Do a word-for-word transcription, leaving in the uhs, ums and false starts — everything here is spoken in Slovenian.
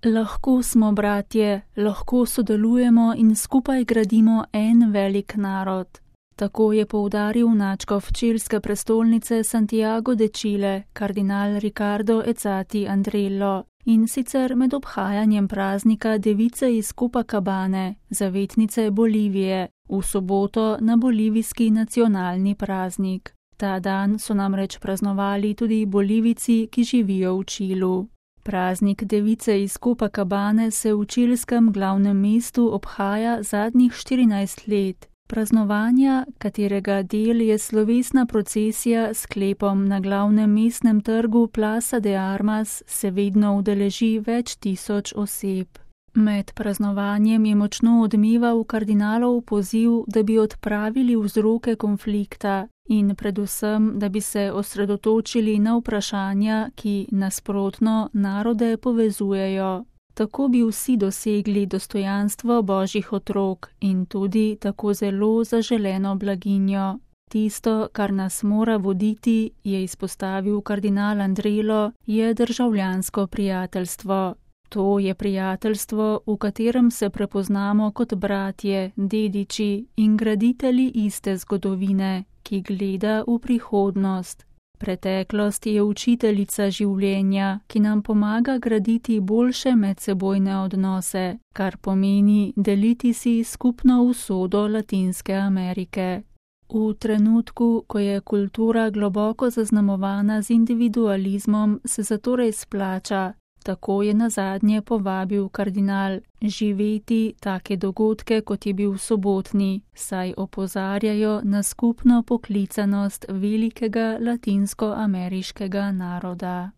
Lahko smo bratje, lahko sodelujemo in skupaj gradimo en velik narod. Tako je poudaril nadškof čilske prestolnice Santiago de Chile, kardinal Ricardo Ezzati Andrello, in sicer med obhajanjem praznika device iz Copacabane, zavetnice Bolivije, v soboto na bolivijski nacionalni praznik. Ta dan so namreč praznovali tudi Bolivijci, ki živijo v Čilu. Praznik device iz Copacabane se v čilskem glavnem mestu obhaja zadnjih štirinajst let. Praznovanja, katerega del je slovesna procesija s sklepom na glavnem mestnem trgu Plaza de Armas, se vedno udeleži več tisoč oseb. Med praznovanjem je močno odmeval kardinalov poziv, da bi odpravili vzroke konflikta in predvsem, da bi se osredotočili na vprašanja, ki nasprotno narode povezujejo. Tako bi vsi dosegli dostojanstvo božjih otrok in tudi tako zelo zaželeno blaginjo. Tisto, kar nas mora voditi, je izpostavil kardinal Andrello, je državljansko prijateljstvo. To je prijateljstvo, v katerem se prepoznamo kot bratje, dediči in graditelji iste zgodovine, ki gleda v prihodnost. Preteklost je učiteljica življenja, ki nam pomaga graditi boljše medsebojne odnose, kar pomeni deliti si skupno usodo Latinske Amerike. V trenutku, ko je kultura globoko zaznamovana z individualizmom, se zatorej splača, tako je nazadnje povabil kardinal, živeti take dogodke, kot je bil sobotni, saj opozarjajo na skupno poklicanost velikega latinskoameriškega naroda.